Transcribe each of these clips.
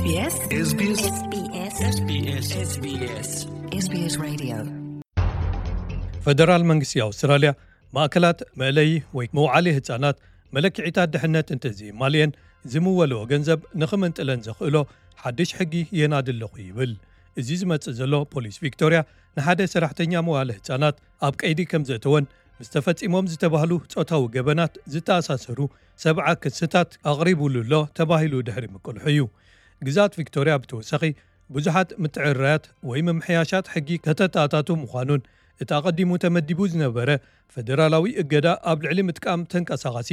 SBS SBS SBS Radio. ፈደራል መንግስቲ ኣውስትራልያ ማእከላት መእለዪ ወይ መውዓሊ ህጻናት መለክዒታት ድሕነት እንተዘይማልየን ዝምወልኦ ገንዘብ ንኽምንጥለን ዘኽእሎ ሓድሽ ሕጊ የናዲ ኣለኹ ይብል። እዚ ዝመጽእ ዘሎ ፖሊስ ቪክቶርያ ንሓደ ሰራሕተኛ መዋለ ህጻናት ኣብ ቀይዲ ከም ዘእተወን ምስ ተፈጺሞም ዝተባህሉ ጾታዊ ገበናት ዝተኣሳሰሩ ሰብዓ ክስታት ኣቕሪቡሉ ኣሎ ተባሂሉ ድሕሪ ምቅልሑ እዩ። ግዛት ቪክቶርያ ብተወሳኺ ብዙሓት ምትዕርራያት ወይ ምምሕያሻት ሕጊ ከተተኣታቱ ምዃኑን እቲ ኣቐዲሙ ተመዲቡ ዝነበረ ፈደራላዊ እገዳ ኣብ ልዕሊ ምጥቃም ተንቀሳቓሲ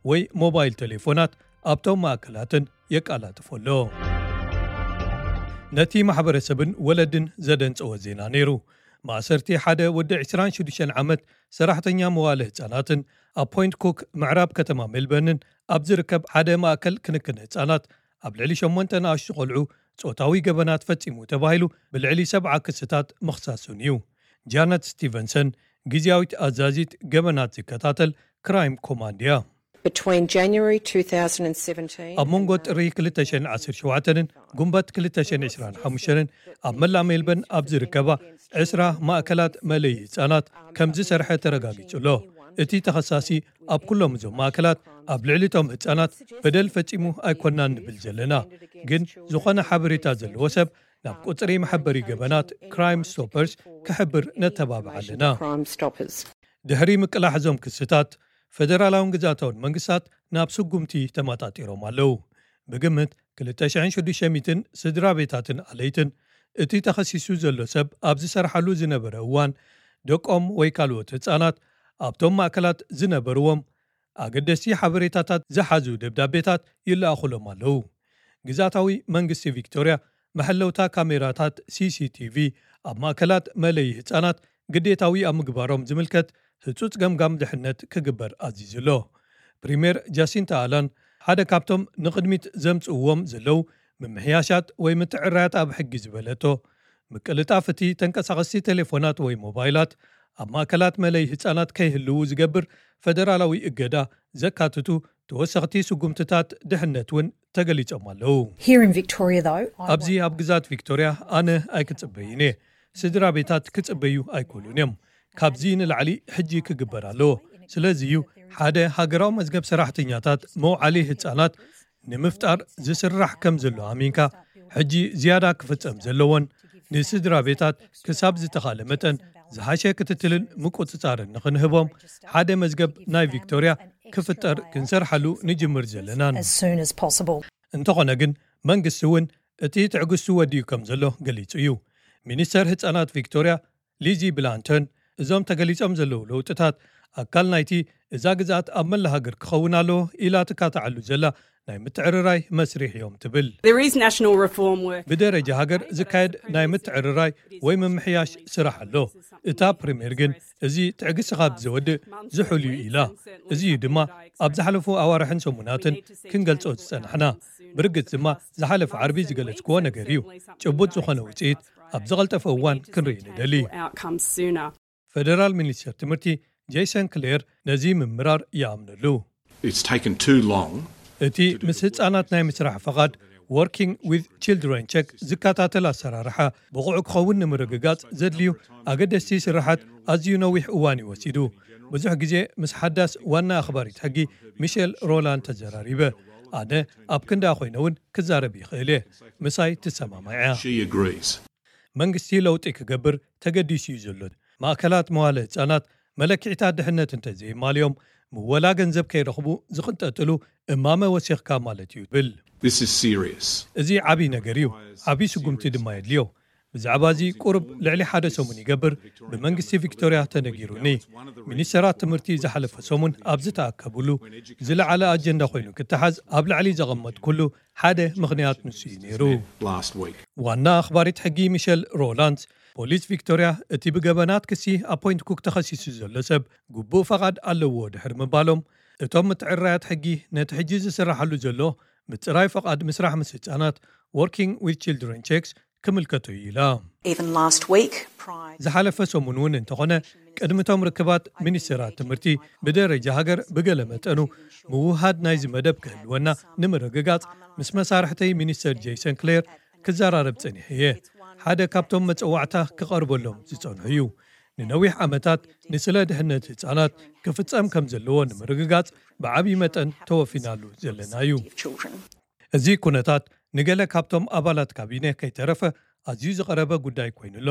ወይ ሞባይል ቴሌፎናት ኣብቶም ማእከላትን የቃላጥፎ ኣሎ። ነቲ ማሕበረሰብን ወለድን ዘደንጸወ ዜና ነይሩ። ማእሰርቲ ሓደ ወዲ ዕስራን ሽዱሽተን ዓመት ሰራሕተኛ መዋለ ህጻናትን ኣብ ፖይንት ኩክ ምዕራብ ከተማ ሜልበርንን ኣብ ዝርከብ ሓደ ማእከል ክንክን ህጻናት ኣብ ልዕሊ ሸሞንተ ንኣሽቱ ቆልዑ ጾታዊ ገበናት ፈጺሙ ተባሂሉ ብልዕሊ ሰብዓ ክስታት ምኽሳሱን እዩ። ጃነት ስቲቨንሰን ግዝያዊት ኣዛዚት ገበናት ዝከታተል ክራይም ኮማንድ እያ። Between January two thousand and seventeen ኣብ መንጎ ጥሪ ክልተ ሽሕን ዓሰርተ ሸውዓተን ን ጉንበት ክልተ ሽሕን ዕስራን ሓሙሽተን ን ኣብ መላእ ሜልበርን ኣብ ዝርከባ ዕስራ ማእከላት መለይ ህጻናት ከም ዝሰርሐ ተረጋጊጹ ኣሎ። እቲ ተኸሳሲ ኣብ ኩሎም እዞም ማእከላት ኣብ ልዕሊ እቶም ህጻናት በደል ፈጺሙ ኣይኮናን ንብል ዘለና፣ ግን ዝኾነ ሓበሬታ ዘለዎ ሰብ ናብ ቁጽሪ መሐበሪ ገበናት ክራይም ስቶፐርስ ክሕብር ነተባብዓ ኣለና። Crime Stoppers. ድሕሪ ምቅላሕ እዞም ክስታት ፈደራላውን ግዛታውን መንግስታት ናብ ስጉምቲ ተመጣጢሮም ኣለዉ። ብግምት ክልተ ሽሕን ሽዱሽተ ሚእትን ስድራ ቤታትን ኣለይትን እቲ ተኸሲሱ ዘሎ ሰብ ኣብ ዝሰርሓሉ ዝነበረ እዋን ደቆም ወይ ካልኦት ህጻናት ኣብቶም ማእከላት ዝነበርዎም ኣገደስቲ ሓበሬታታት ዝሓዙ ደብዳቤታት ይለኣኹሎም ኣለዉ። ግዛታዊ መንግስቲ ቪክቶርያ መሐለውታ ካሜራታት ሲሲቲቪ ኣብ ማእከላት መለይ ህጻናት ግዴታዊ ኣብ ምግባሮም ዝምልከት ህጹጽ ገምጋም ድሕነት ክግበር ኣዚዙ ኣሎ። ፕሪምየር ጃሲንታ ኣላን ሓደ ካብቶም ንቕድሚት ዘምጽእዎም ዘለዉ ምምሕያሻት ወይ ምትዕራያት ኣብ ሕጊ ዝበለቶ ምቅልጣፍ እቲ ተንቀሳቐስቲ ቴሌፎናት ወይ ሞባይላት ኣብ ማእከላት መለይ ህጻናት ከይህልዉ ዝገብር ፈደራላዊ እገዳ ዘካትቱ ተወሰኽቲ ስጉምትታት ድሕነት እውን ተገሊጾም ኣለዉ። Here in Victoria, though, I ኣብዚ ኣብ ግዛት ቪክቶርያ ኣነ ኣይክጽበይን እየ። ስድራ ቤታት ክጽበዩ ኣይክእሉን እዮም። ካብዚ ንላዕሊ ሕጂ ክግበር ኣለዎ። ስለዚ እዩ ሓደ ሃገራዊ መዝገብ ሰራሕተኛታት መውዓሊ ህጻናት ንምፍጣር ዝስራሕ ከም ዘሎ ኣሚንካ ሕጂ ዝያዳ ክፍጸም ዘለዎን ንስድራ ቤታት ክሳብ ዝተኻለ መጠን ዝሓሸ ክትትልን ምቁጽጻርን ንኽንህቦም ሓደ መዝገብ ናይ ቪክቶርያ ክፍጠር ክንሰርሓሉ ንጅምር ዘለናን። as soon as possible. እንተኾነ ግን መንግስቲ እውን እቲ ትዕግስቱ ወዲኡ ከም ዘሎ ገሊጹ እዩ። ሚኒስተር ህጻናት ቪክቶርያ ሊዚ ብላንተን እዞም ተገሊጾም ዘለዉ ለውጥታት ኣካል ናይቲ እዛ ግዝኣት ኣብ መላ ሃገር ክኸውን ኣለዎ ኢላ ትካታዓሉ ዘላ ናይ ምትዕርራይ መስሪሕ እዮም ትብል። There is national reform work. ብደረጃ ሃገር ዝካየድ ናይ ምትዕርራይ ወይ ምምሕያሽ ስራሕ ኣሎ። እታ ፕሪምየር ግን እዚ ትዕግስቲ ካብ ዘወድእ ዝሑል እዩ ኢላ። እዚ እዩ ድማ ኣብ ዝሓለፉ ኣዋርሕን ሰሙናትን ክንገልጾ ዝጸናሕና። ብርግጽ ድማ ዝሓለፈ ዓርቢ ዝገለጽክዎ ነገር እዩ። ጭቡጥ ዝኾነ ውጽኢት ኣብ ዝቐልጠፈ እዋን ክንርኢ ንደሊ። Outcomes sooner. ፈደራል ሚኒስተር ትምህርቲ ጄሰን ክሌር ነዚ ምምራር ይኣምነሉ። It's taken too long. እቲ ምስ ህጻናት ናይ ምስራሕ ፈቓድ Working with Children Check ዝከታተል ኣሰራርሓ ብቑዕ ክኸውን ንምርግጋጽ ዘድልዩ ኣገደስቲ ስራሓት ኣዝዩ ነዊሕ እዋን እዩ ወሲዱ። ብዙሕ ግዜ ምስ ሓዳስ ዋና ኣኽባሪት ሕጊ ሚሸል ሮላንድ ተዘራሪበ። ኣነ ኣብ ክንዳ ኮይነ እውን ክዛረብ ይኽእል እየ። ምሳይ ትሰማማዕ እያ። She agrees. መንግስቲ ለውጢ ክገብር ተገዲሱ እዩ ዘሎ። ማእከላት መዋለ ህጻናት መለክዒታት ድሕነት እንተዘይማልዮም ምወላ ገንዘብ ከይረኽቡ ዝቕንጠጥሉ እማመ ወሲኽካ ማለት እዩ ብል። This is serious. እዚ ዓብዪ ነገር እዩ። ዓብዪ ስጉምቲ ድማ የድልዮ። ብዛዕባ እዚ ቁሩብ ልዕሊ ሓደ ሰሙን ይገብር ብመንግስቲ ቪክቶርያ ተነጊሩኒ። ሚኒስተራት ትምህርቲ ዝሓለፈ ሰሙን ኣብ ዝተኣከብሉ ዝለዓለ ኣጀንዳ ኮይኑ ክተሓዝ ኣብ ላዕሊ ዘቐመጥኩሉ ሓደ ምኽንያት ንሱ እዩ ነይሩ። Last week. ዋና ኣኽባሪት ሕጊ ሚሸል ሮላንድስ ፖሊስ ቪክቶርያ እቲ ብገበናት ክሲ ኣብ ፖይንት ኩክ ተኸሲሱ ዘሎ ሰብ ግቡእ ፈቓድ ኣለዎ ድሕሪ ምባሎም እቶም ምትዕርራያት ሕጊ ነቲ ሕጂ ዝስራሓሉ ዘሎ ምጽራይ ፈቓድ ምስራሕ ምስ ህጻናት Working with Children Checks ክምልከቶ እዩ ኢላ። Even last week, Pride. ዝሓለፈ ሰሙን እውን እንተኾነ ቅድሚቶም ርክባት ሚኒስትራት ትምህርቲ ብደረጃ ሃገር ብገለ መጠኑ ምውሃድ ናይዚ መደብ ክህልወና ንምርግጋጽ ምስ መሳርሕተይ ሚኒስተር ጄሰን ክሌር ክዘራረብ ጸኒሐ እየ። ሓደ ካብቶም መጸዋዕታ ክቐርበሎም ዝጸንሑ እዩ። ንነዊሕ ዓመታት ንስለ ድሕነት ህጻናት ክፍጸም ከም ዘለዎ ንምርግጋጽ ብዓብዪ መጠን ተወፊናሉ ዘለና እዩ። እዚ ኩነታት ንገለ ካብቶም ኣባላት ካቢነ ከይተረፈ ኣዝዩ ዝቐረበ ጉዳይ ኮይኑ ኣሎ።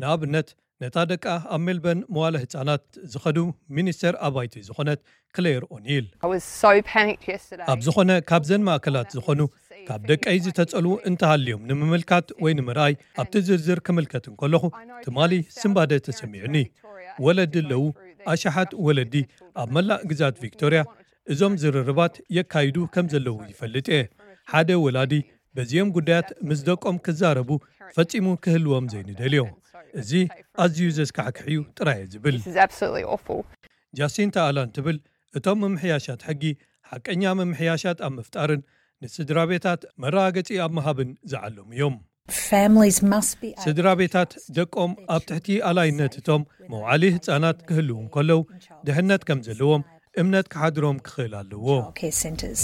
ንኣብነት ነታ ደቃ ኣብ ሜልበርን መዋለ ህጻናት ዝኸዱ ሚኒስተር ኣባይቲ ዝኾነት ክሌር ኦኒል። I was so panicked yesterday. ኣብ ዝኾነ ካብዘን ማእከላት ዝኾኑ ካብ ደቀይ ዝተጸልዉ እንተሃልዮም ንምምልካት ወይ ንምርኣይ ኣብቲ ዝርዝር ክምልከት እንከለኹ ትማሊ ስንባደ ተሰሚዑኒ። ወለዲ ኣለዉ፣ ኣሽሓት ወለዲ ኣብ መላእ ግዛት ቪክቶርያ። እዞም ዝርርባት የካይዱ ከም ዘለዉ ይፈልጥ እየ። ሓደ ወላዲ በዚኦም ጉዳያት ምስ ደቆም ክዛረቡ ፈጺሙ ክህልዎም ዘይንደልዮ። እዚ ኣዝዩ ዘስካሕክሕ እዩ ጥራይ እየ ዝብል። This is absolutely awful. ጃሲንታ ኣላን ትብል እቶም ምምሕያሻት ሕጊ ሓቀኛ ምምሕያሻት ኣብ ምፍጣርን ንስድራ ቤታት መረጋገጺ ኣብ ምሃብን ዝዓለሙ እዮም። Families must be able ስድራ ቤታት ደቆም ኣብ ትሕቲ ኣላይነት እቶም መውዓሊ ህጻናት ክህልዉ እንከለዉ ድሕነት ከም ዘለዎም እምነት ክሓድሮም ክኽእል ኣለዎ። Care centres.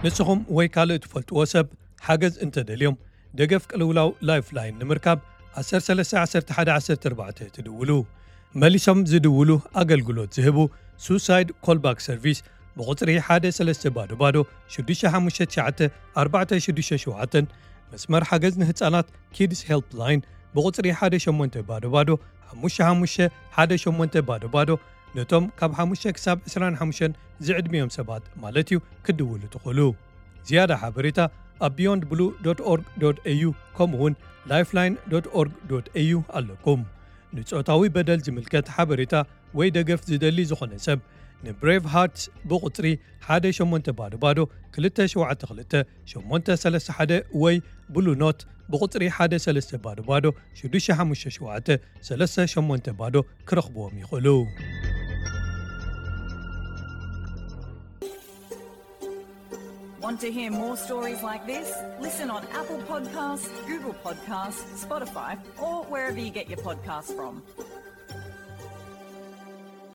ንስኹም ወይ ካልእ ትፈልጥዎ ሰብ ሓገዝ እንተደልዮም ደገፍ ቅልውላው ላይፍላይን ንምርካብ ዓሰርተ ሰለስተ ዓሰርተ ሓደ ዓሰርተ ኣርባዕተ ትድውሉ። መሊሶም ዝድውሉ ኣገልግሎት ዝህቡ ሱሳይድ ኮልባክ ሰርቪስ ብቑጽሪ ሓደ ሰለስተ ባዶ ባዶ ሽዱሽተ ሓሙሽተ ትሽዓተ ኣርባዕተ ሽዱሽተ ሸውዓተ፣ መስመር ሓገዝ ንህጻናት ኪድስ ሄልፕ ላይን ብቑጽሪ ሓደ ሸሞንተ ባዶ ባዶ ሓሙሽተ ሓሙሽተ ሓደ ሸሞንተ ባዶ ባዶ፣ ነቶም ካብ ሓሙሽተ ክሳብ ዕስራን ሓሙሽተን ዝዕድሚኦም ሰባት ማለት እዩ ክድውሉ ትኽእሉ። ዝያዳ ሓበሬታ ኣብ beyond blue dot org dot au ከምኡ እውን lifeline dot org dot au ኣለኩም። ንጾታዊ በደል ዝምልከት ሓበሬታ ወይ ደገፍ ዝደሊ ዝኾነ ሰብ ንብሬቭ ሃርትስ ብቑጽሪ ሓደ ሸሞንተ ባዶ ባዶ ክልተ ሸውዓተ ክልተ ሸሞንተ ሰለስተ ሓደ ወይ ብሉ ኖት ብቑጽሪ ሓደ ሰለስተ ባዶ ባዶ ሽዱሽተ ሓሙሽተ ሸውዓተ ሰለስተ ሸሞንተ ባዶ ክረኽብዎም ይኽእሉ። Want to hear more stories like this? Listen on Apple Podcasts, Google Podcasts, Spotify, or wherever you get your podcasts from.